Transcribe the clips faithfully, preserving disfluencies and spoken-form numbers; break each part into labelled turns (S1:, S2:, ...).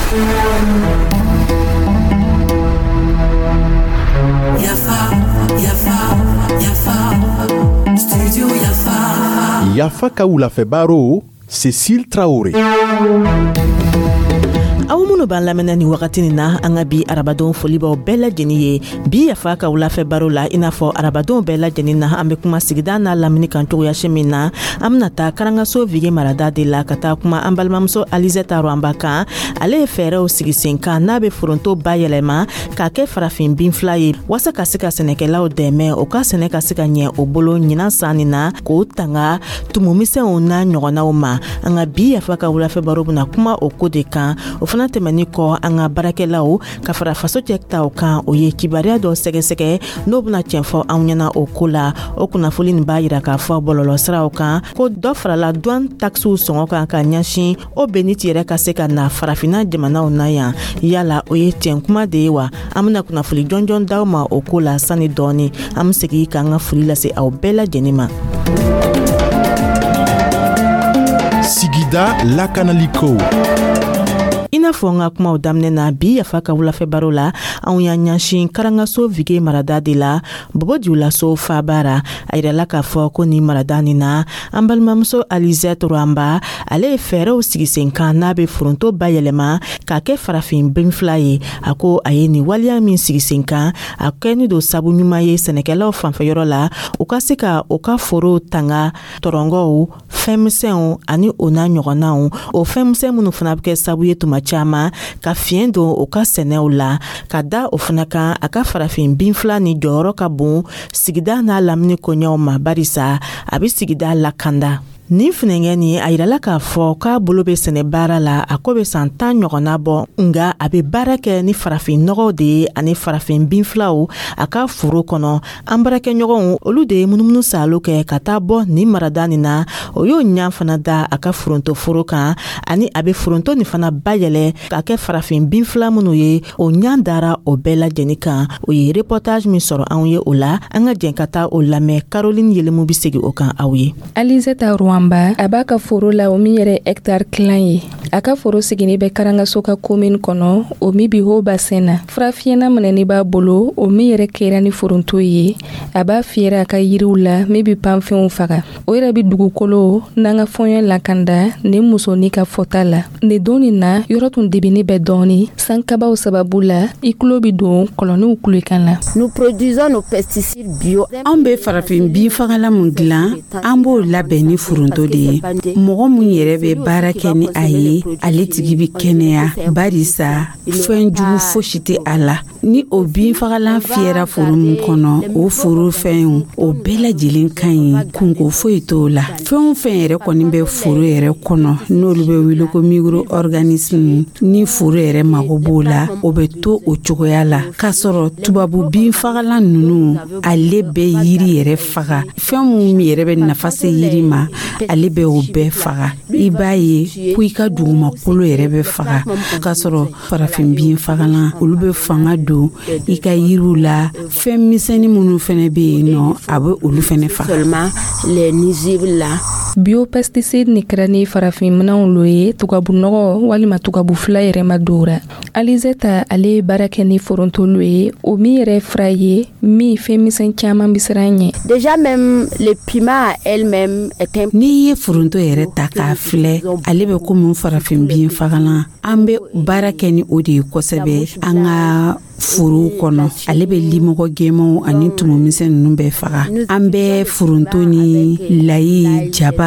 S1: Yafa, Yafa, Yafa, Studio Yafa.
S2: Yafa ka wulafɛ baro, Cécile Traoré.
S3: Aw minnu b'an lamɛnna ni wagati nin na, an ka bi arabadon folibaw bɛɛ lajɛlen ye. Bi Yafa ka wulafɛ baro la, i n'a fɔ arabadon bɛɛ lajɛlen na, an be kuma sigida n'a lamini kan cogoyasi min na. An bena taa Karangaso Vige marada de la ka taa kuma an balimamuso Alizeta Rwanba kan. Ale ye fɛɛrɛw sigi sen kan n'a be foronto bayɛlɛma k'a kɛ farafin binfila ye, waasa ka se ka sɛnɛkɛlaw dɛmɛ, o ka sɛnɛ ka se ka ɲɛ o bolo ɲinan san nin na, k'o tanga tumumisɛnw n'a ɲɔgɔnnaw ma. An ka bi Yafa ka wulafɛ baro bena kuma o ko de kan. O fana tɛmɛni kɔ, an ka baarakɛlaw ka fara faso cɛ taw kan, o ye kibaruya dɔ sɛgɛsɛgɛ n'o bena tiɲɛ fɔ anw ɲɛna o ko la. O kunnafoli nin b'a yira k'a fɔ bɔlɔlɔsiraw kan ko dɔ farala douane taxew sɔngɔ kan ka ɲɛsin o beniti yɛrɛ ka se ka na Farafina jamanaw na yan. Yala o ye tiɲɛ kuma de ye wa? An bena kunnafoli jɔnjɔn d'aw ma o ko la sani dɔɔni. An be segi k'an ka foli lase aw bɛɛ lajɛnin ma.
S2: Sigida lakanaliko.
S3: I n'a fɔ n ka kumaw daminɛ na, bi Yafa ka wulafɛ baro la, anw y'an ɲɛsin Karangaso Vige marada de la, Bobo Julaso fabara. A yirala k'a fɔ ko nin marada nin na, an balimamuso Alizette Rwamba, ale ye fɛɛrɛw sigi sen kan n'a bɛ foronto bayɛlɛma k'a kɛ farafin binfila ye. A ko a ye nin waleya min sigi sen kan, a kɛni don sabu ɲuman ye sɛnɛkɛlaw fanfɛyɔrɔ la, u ka se ka u ka forow tanga tɔrɔngɔw, fɛnmisɛnw ani o n'a ɲɔgɔnnaw, o fɛnmisɛn minnu fana bɛ kɛ sabu ye tuma caman ka fiɲɛ don u ka sɛnɛw la. Ka da o fana kan, a ka farafin binfila ni jɔyɔrɔ ka bon sigida n'a lamini koɲɛw ma, barisa a bɛ sigida lakanda. Nin funɛngɛ nin, a yirala k'a fɔ k'a bolo bɛ sɛnɛ baara la, a ko bɛ san tan ɲɔgɔnna bɔ, nga a bɛ baara kɛ ni farafin nɔgɔw de ye ani farafin binfilaw a ka foro kɔnɔ. An baarakɛɲɔgɔnw, olu de ye munumunu saalo kɛ ka taa bɔ nin marada nin na. O y'o ɲa fana da a ka foronto foro kan, ani a bɛ foronto nin fana bayɛlɛ k'a kɛ farafin binfila minnu ye, o ɲa dara o bɛɛ lajɛlen kan. O ye reportage min sɔrɔ anw ye o la, an ka jɛn ka taa o lamɛn. Caroline Yelemu bɛ segin o kan aw ye.
S4: Alizeta Rwanba, a b'a ka foro la, o min yɛrɛ hectare kilan ye. A ka foro sigini bɛ Karangaso ka commune kɔnɔ, o min bi haut bassin na. Furafiyɛna minɛni b'a bolo, o min yɛrɛ kɛra ni foronto ye. A b'a fiyɛra a ka yiriw la min bi panfɛnw faga. O yɛrɛ bi dugukolo n'an ka fɔɲɛ lakanda. Nin musonin ka fɔta la, nin don nin na, yɔrɔ tun debini bɛ dɔɔni sankabaw sababu la, i kulo bi don kɔlɔnniw kulekan la.
S5: Nous produisons nos pesticides bio.
S6: Anw bɛ farafin binfagalan mun dilan, an b'o labɛn ni foronto de ye. Mɔgɔ mun yɛrɛ bɛ baara kɛ ni a ye, ale tigi bɛ kɛnɛya, barisa fɛn jugu fosi tɛ a la. Ni o binfagalan fiyɛra foro min kɔnɔ, o foro fɛnw, o bɛɛ lajɛlen ka ɲi, kunko foyi t'o la. Fɛn o fɛn yɛrɛ kɔni bɛ foro yɛrɛ kɔnɔ, n'olu bɛ wele ko micro-organisme, ni foro yɛrɛ mago b'o la, o bɛ to o cogoya la. K'a sɔrɔ tubabu binfagalan ninnu, ale bɛ yiri yɛrɛ faga. Fɛn mun yɛrɛ bɛ nafa se yiri ma, ale bɛ o bɛɛ faga. I b'a ye ko i ka dugumakolo yɛrɛ bɛ faga. K'a sɔrɔ farafin binfagalan, olu bɛ fanga don i ka yiriw la. Fɛn misɛnnin minnu fɛnɛ bɛ yen nɔ, a bɛ olu fɛnɛ faga.
S5: Seulement les nuisibles là.
S4: Biopesticide ni kɛra ni farafin minɛnw lo ye, tubabu nɔgɔ walima tubabu fila yɛrɛ ma dora. Alizeta, ale ye baara kɛ ni forontolu ye, o min yɛrɛ fura ye min fɛn misɛn caman bɛ siran ɲɛ.
S5: Déjà même le piment elle-même est un
S6: N'i ye foronto yɛrɛ ta k'a filɛ, ale bɛ komi farafin binfagalan. An bɛ baara kɛ ni o de ye kosɛbɛ an ka forow kɔnɔ. Ale bɛ limɔgɔ gɛnmanw ani tumumisɛn ninnu bɛɛ faga. An bɛ foronto ni layi, jaba,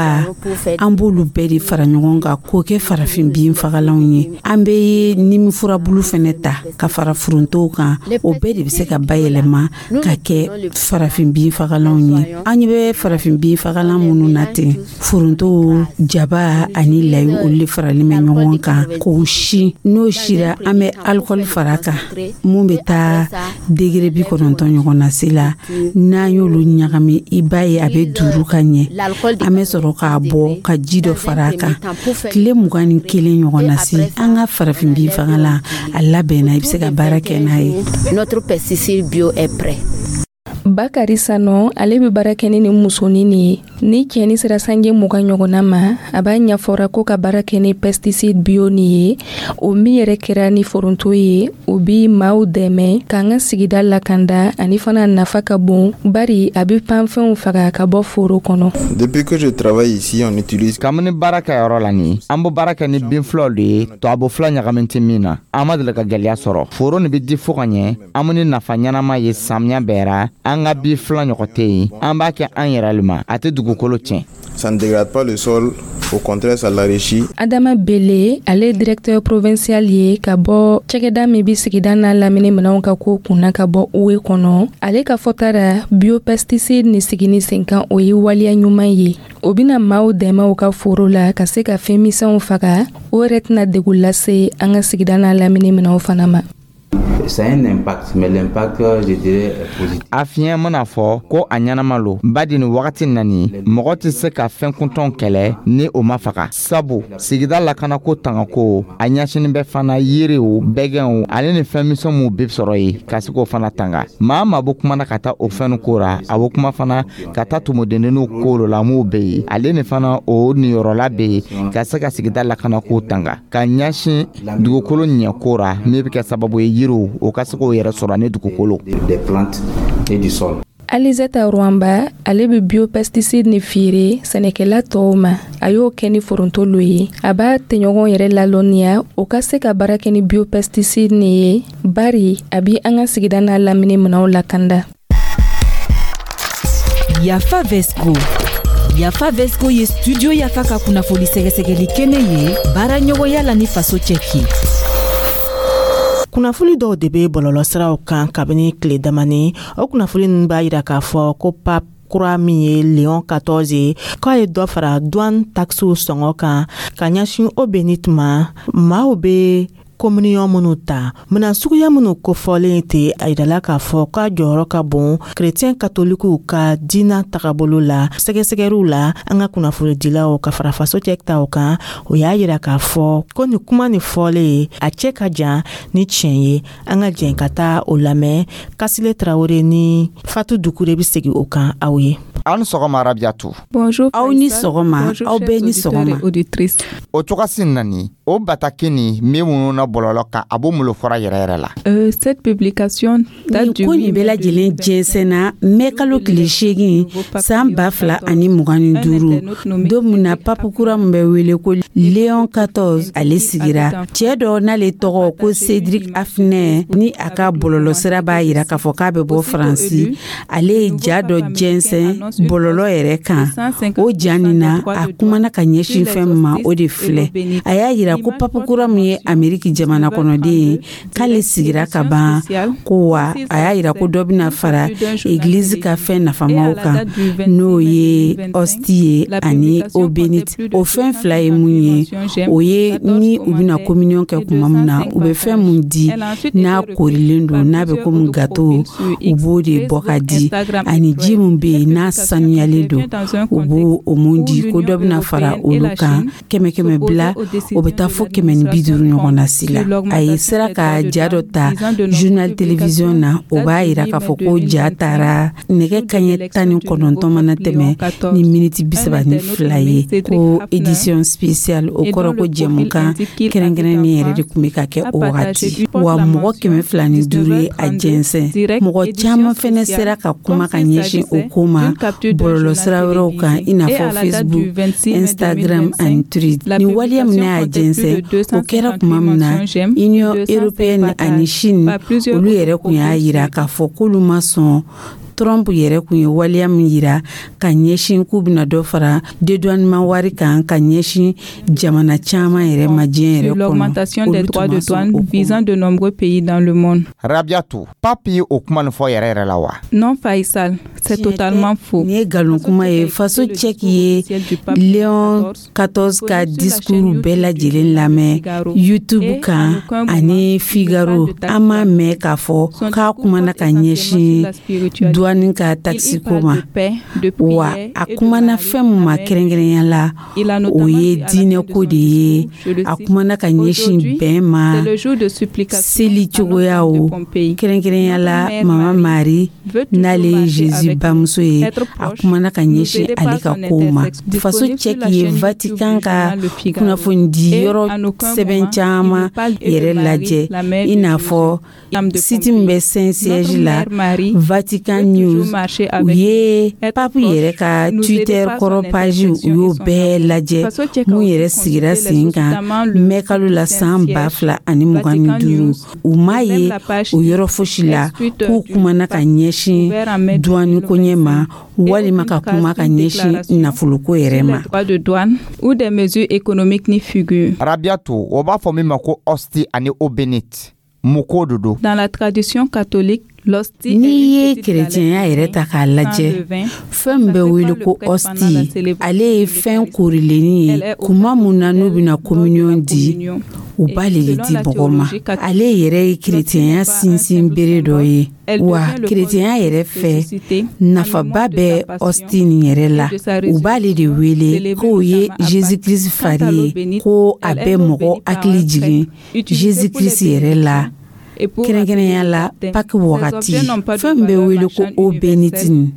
S6: an b'olu bɛɛ de fara ɲɔgɔn kan k'o kɛ farafin binfagalanw ye. An bɛ nimi furabulu fɛnɛ ta ka fara forontow kan. O bɛɛ de bɛ se ka bayɛlɛma ka kɛ farafin binfagalanw ye. An ɲɛ bɛ farafin binfagalan minnu na ten, foronto, jaba ani layi, olu de faralen bɛ ɲɔgɔn kan k'o si. N'o sira, an bɛ alikɔli fara kan mun bɛ taa degré bi kɔnɔntɔn ɲɔgɔn na se la. N'an y'olu ɲagami, i b'a ye a bɛ duuru ka ɲɛ. An bɛ sɔrɔ k'a bɔ ka ji dɔ fara a kan tile mugan ni kelen ɲɔgɔn na se, an ka farafin binfagalan a labɛnna, i bɛ se ka baara kɛ n'a ye.
S5: Notre pesticide bio est prêt.
S4: Bakari Sanɔ, ale bɛ baara kɛ ni nin musonin nin ye. Ni cɛni sera sanji mugan ɲɔgɔnna ma, a b'a ɲɛfɔra ko ka baara kɛ ni pesticide bio nin ye, o min yɛrɛ kɛra ni foronto ye. O bi maaw dɛmɛ k'an ka sigida lakanda, ani fana nafa ka bon, bari a bɛ panfɛnw faga ka bɔ foro kɔnɔ.
S7: Depuis que je travaille ici, on utilise
S8: Kabini baara kɛ yɔrɔ la nin, an bɛ baara kɛ ni bin filaw de ye, tubabu fila ɲagamin tɛ min na. An ma deli ka gwɛlɛya sɔrɔ. Foro nin bɛ di fo ka ɲɛ. An be ni nafa ɲɛnama ye samiya bɛɛ ra. An ka bin fila ɲɔgɔn tɛ yen. An b'a kɛ an yɛrɛ le ma, a tɛ dugukolo tiɲɛ.
S7: Ça ne dégrade pas le sol, au contraire, ça l'enrichit.
S4: Adama Bele, ale ye directeur provincial ye ka bɔ cɛgɛda min bi sigida n'a lamini minɛnw ka ko kunna ka bɔ U E kɔnɔ. Ale ka fɔta ra, biopesticide ni sigini sen kan, o ye waleya ɲuman ye. O bɛna maaw dɛmɛ u ka foro la ka se ka fɛn misɛnw faga. O yɛrɛ tɛna degun lase an ka sigida n'a lamini minɛnw fana ma.
S9: Ça a un impact, mais l'impact, je dirais, est positif.
S8: A fiɲɛ mana fɔ ko a ɲɛnama lo, badi nin wagati nani, mɔgɔ tɛ se ka fɛn kuntɔn kɛlɛ ni o ma faga, sabu sigida lakanako tangako a ɲɛsinin bɛ fana yiriw, bɛgɛnw ale ni fɛn misɛn minw bɛ sɔrɔ yen ka se k'o fana tanga. Maa maa bɛ kuma na ka taa o fɛn ko ra, a bɛ kuma fana ka taa tumudenninw ko la m'o bɛ yen. Ale ni fana o niyɔrɔla bɛ yen ka se ka sigida lakanako tanga ka ɲɛsin dugukolo ɲɛko ra, min bɛ kɛ sababu ye yiriw o ka se k'o yɛrɛ sɔrɔ ani dugukolo.
S9: Des plantes et du sol.
S4: Alizeta Rwamba, ale bɛ biopesticide ni feere sɛnɛkɛla tɔw ma. A y'o kɛ ni foronto lo ye. A b'a tɛɲɔgɔn yɛrɛ lalɔnniya o ka se ka baara kɛ ni biopesticide ni ye, bari a bi an ka sigida n'a lamini minɛnw lakanda.
S1: Yafa Vesco. Yafa Vesco ye Studio Yafa ka kunnafoni sɛgɛsɛgɛli kɛnɛ ye, baara ɲɔgɔnya la ni Faso Cɛki.
S3: Kunnafoni dɔw de bɛ bɔlɔlɔsiraw kan kabini tile damani. O kunnafoni ninnu b'a yira k'a fɔ ko pape kura min ye Léon quatorze ye, k'a ye dɔ fara douane taxew sɔngɔ kan ka ɲɛsin eau bénite ma. Maaw bɛ communion minnu ta, minan suguya minnu kofɔlen tɛ, a yirala k'a fɔ k'a jɔyɔrɔ ka bon kerecɛn katolikiw ka diina tagabolo la. Sɛgɛsɛgɛriw la, an ka kunnafonidilaw ka fara Faso cɛ taw kan, o y'a yira k'a fɔ ko nin kuma nin fɔlen, a cɛ ka jan ni tiɲɛ ye. An ka jɛn ka taa o lamɛn. Kasile Tarawele ni Fatu Dukure bɛ segin o kan aw ye.
S8: Aw ni sɔgɔma, Arabiyatu.
S4: Bonjour.
S6: Aw ni sɔgɔma, aw bɛɛ ni sɔgɔma.
S4: Auditrice.
S8: O cogosi nani o bataki ni min minnu na bɔlɔlɔ kan, a b'o malo fɔra yɛrɛ yɛrɛ la.
S4: Euh, cette publication date du
S6: Nin ko nin bɛɛ lajɛlen jɛnsɛnna mɛ kalo tile seegin san ba fila ani mugan ni duuru, don min na pape kura min bɛ wele ko Léon quatorze, ale sigira. Cɛɛ dɔ n'ale tɔgɔ ko Cédric Haffner, ni a ka bɔlɔlɔsira b'a yira k'a fɔ k'a bɛ bɔ Faransi, ale ye ja dɔ jɛnsɛn bɔlɔlɔ yɛrɛ kan. O ja nin na, a kumana ka ɲɛsin fɛn min ma, o de filɛ: a y'a yira ko pape kura min ye Ameriki jamana kɔnɔden ye, k'ale sigira ka ban ko wa a y'a yira ko dɔ bɛna fara egilizi ka fɛn nafamaw kan, n'o ye hostie ye ani eau bénite. O fɛn fila ye mun ye? O ye ni u bɛna communion kɛ tuma min na, u bɛ fɛn mun di n'a korilen don, n'a bɛ komi gâteau, u b'o de bɔ ka di, ani ji min bɛ yen n'a sanuyalen don, u b'o o mun di. Ko dɔ bɛna fara olu kan, kɛmɛ kɛmɛ bila, o bɛ taa fo kɛmɛ ni bi duuru ɲɔgɔn na si la. A ye sera ka ja dɔ ta journal télévision na, o b'a yira k'a fɔ ko ja taara nɛgɛ kaɲɛ tan ni kɔnɔntɔn mana tɛmɛ ni miniti bi saba ni fila ye, ko édition spéciale. O kɔrɔ ko jɛmukan kɛrɛnkɛrɛnnen yɛrɛ de tun bɛ ka kɛ o wagati wa. Mɔgɔ kɛmɛ fila ni duuru ye a jɛnsɛn. Mɔgɔ caman fɛnɛ sera ka kuma ka ɲɛsin o ko ma bɔlɔlɔsira wɛrɛw kan, i n'a fɔ Facebook, Instagram ani Twitter. Nin waleya min n'a y'a jɛnsɛn, o kɛra tuma min na Union européenne ani Chine, olu yɛrɛ kun y'a yira k'a fɔ k'olu ma sɔn Trump yɛrɛ kun ye waleya min yira ka ɲɛsin k'u bɛna dɔ fara dédouanement wari kan ka ɲɛsin jamana caman yɛrɛ ma diɲɛ yɛrɛ kɔnɔ.
S4: L'augmentation des droits de douane visant de nombreux pays dans le monde.
S8: Rabiatu, pape ye o kuma nin fɔ yɛrɛ yɛrɛ la wa?
S4: Non Faisal, c'est totalement faux.
S6: Nin ye nkalon kuma ye. Faso Cɛki ye Léon quatorze ka discours bɛɛ lajɛlen lamɛn YouTube kan ani Figaro, an m'a mɛn k'a fɔ k'a kumana ka ɲɛsin douane Duwani ka taxe ko ma. Wa a kumana fɛn min ma kɛrɛnkɛrɛnya la, o ye diinɛko de ye. A kumana ka ɲɛsin bɛn ma, seli cogoyaw, kɛrɛnkɛrɛnya la Mama Mari, n'ale ye Jésus bamuso ye. A kumana ka ɲɛsin ale ka kow ma. Faso Cɛki ye Vatican ka kunnafonidi yɔrɔ sɛbɛn caman yɛrɛ lajɛ, i n'a fɔ site min bɛ Saint Siège la, Vatican News. U ye pape yɛrɛ ka Twitter kɔrɔ page, u y'o bɛɛ lajɛ, mun yɛrɛ sigira sen kan mɛkalo la san ba fila ani mugan ni duuru. U m'a ye o yɔrɔ fosi la k'u kumana ka ɲɛsin duwani koɲɛ ma, walima ka kuma ka ɲɛsin nafoloko yɛrɛ ma.
S4: Ou des mesures économiques n'y figurent.
S8: Rabiatu, o b'a fɔ min ma ko hostie ani eau bénite, mun ko de don?
S4: Dans la tradition catholique,
S6: N'i ye kerecɛnya yɛrɛ ta k'a lajɛ, fɛn min bɛ wele ko hostie, ale ye fɛn korilennin ye. Kuma mun na n'u bɛna communion di, u b'ale de di mɔgɔ ma. Ale yɛrɛ ye kerecɛnya sinsin bere dɔ ye. Wa kerecɛnya yɛrɛ fɛ, nafaba bɛ hostie nin yɛrɛ la. U b'ale de wele k'o ye Jésus Christ fari ye, ko a bɛ mɔgɔ hakili jigin Jésus Christ yɛrɛ la, kɛrɛnkɛrɛnya la Pâques wagati. Fɛn min bɛ wele ko eau bénite nin,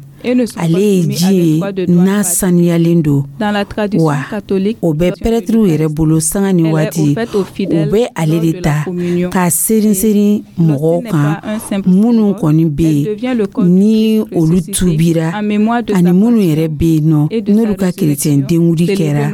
S6: ale ye ji ye n'a saniyalen don. Wa o bɛ pɛrɛtiriw yɛrɛ bolo sanga ni waati. U bɛ ale de ta k'a serin serin mɔgɔw kan, minnu kɔni bɛ yen ni olu tubira, ani minnu yɛrɛ bɛ yen nɔ n'olu ka kerecɛn denwuli kɛra,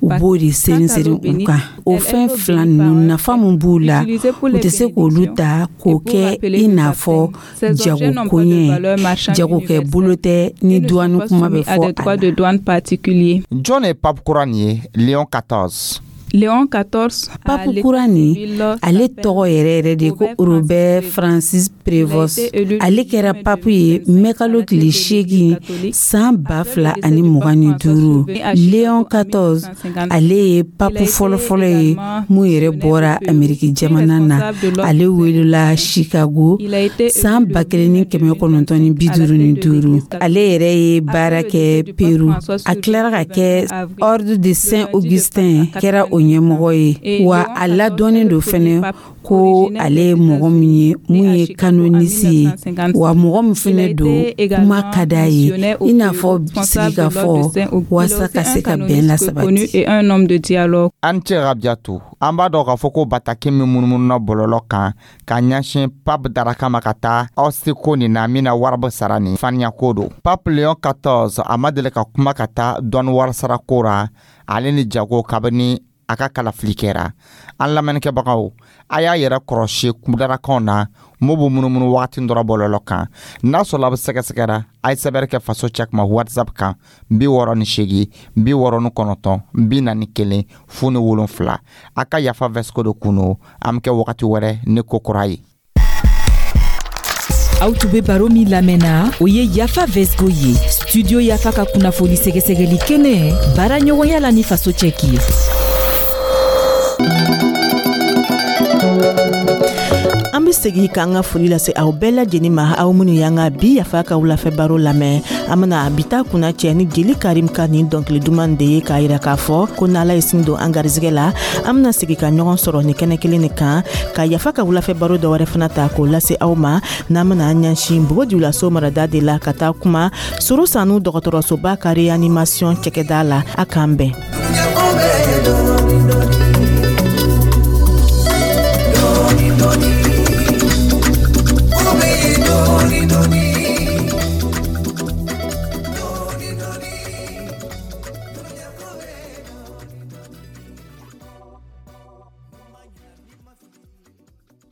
S6: u b'o de serin serin u kan. O fɛn fila ninnu, nafa min b'u la, u tɛ se k'olu ta k'o kɛ i n'a fɔ jagokoɲɛ, jagokɛ bolo tɛ ni duwani kuma bɛ fɔ a
S4: la. Douane particulier.
S8: Jɔn ye pape kura nin ye, Léon quatorze?
S4: Léon quatorze.
S6: Pape kura nin, ale tɔgɔ yɛrɛ yɛrɛ de ko Robert Francis Prevost. Ale kɛra pape ye mɛkalo tile seegin san ba fila ani mugan ni duuru. Léon quatorze, ale ye pape fɔlɔfɔlɔ ye mun yɛrɛ bɔra Ameriki jamana na. Ale welela Chicago san ba kelen ni kɛmɛ kɔnɔntɔn ni bi duuru ni duuru. Ale yɛrɛ ye baara kɛ Peru. A tilara ka kɛ Ordre de Saint Augustin, kɛra o ɲɛmɔgɔ ye. Wa a ladɔnnen don fɛnɛ ko ale ye mɔgɔ min ye mun ye canoniste ye, wa mɔgɔ min fɛnɛ don, kuma ka d'a ye, i n'a fɔ sigikafɔ, waasa ka se ka bɛn lasabati.
S8: An cɛ Rabiatu, an b'a dɔn k'a fɔ ko bataki min munumununa bɔlɔlɔ kan ka ɲɛsin pape daraka ma ka taa hostie ko nin na, min na wari bɛ sara nin faniya ko don, pape Léon quatorze, a ma deli ka kuma ka taa dɔɔni wari sara ko ra, ale ni jago, kabini a ka kalafili kɛra. An lamɛnnikɛbagaw, a y'a yɛrɛ kɔrɔsi kudarakaw na mo b'u munumunu wagati dɔrɔn bɔlɔlɔ kan. N'a sɔrɔ a bɛ sɛgɛsɛgɛra, a ye sɛbɛnni kɛ Faso Cɛkuma WhatsApp kan: bi wɔɔrɔ ni seegin bi wɔɔrɔ ni kɔnɔntɔn bi naani kelen fu ni wolonfila. A ka yafa vɛsiko de kun. An bɛ kɛ wagati wɛrɛ ni ko kura ye.
S1: Aw tun be baro min lamɛnna, o ye Yafa Vesgo ye, Studio Yafa ka kunnafoni sɛgɛsɛgɛli kɛnɛ, baara ɲɔgɔnya la ni Faso Cɛki ye.
S3: An be segi k'an ka foli lase aw bɛɛ lajɛnin ma, aw minnu y'an ka bi Yafa ka wulafɛ baro lamɛn. An bena bi ta kunna cɛ ni Jeli Karim ka nin dɔnkili duman de ye, k'a yira k'a fɔ ko n'Ala ye sini don an garizigɛ la, an bena segi ka ɲɔgɔn sɔrɔ ni kɛnɛ kelen nin kan, ka Yafa ka wulafɛ baro dɔ wɛrɛ fana ta k'o lase aw ma, n'an bena an ɲɛsin Bobo Dioulasso marada de la, ka taa kuma Soro Sanu dɔgɔtɔrɔsoba ka réanimation cɛkɛda la. A k'an bɛn.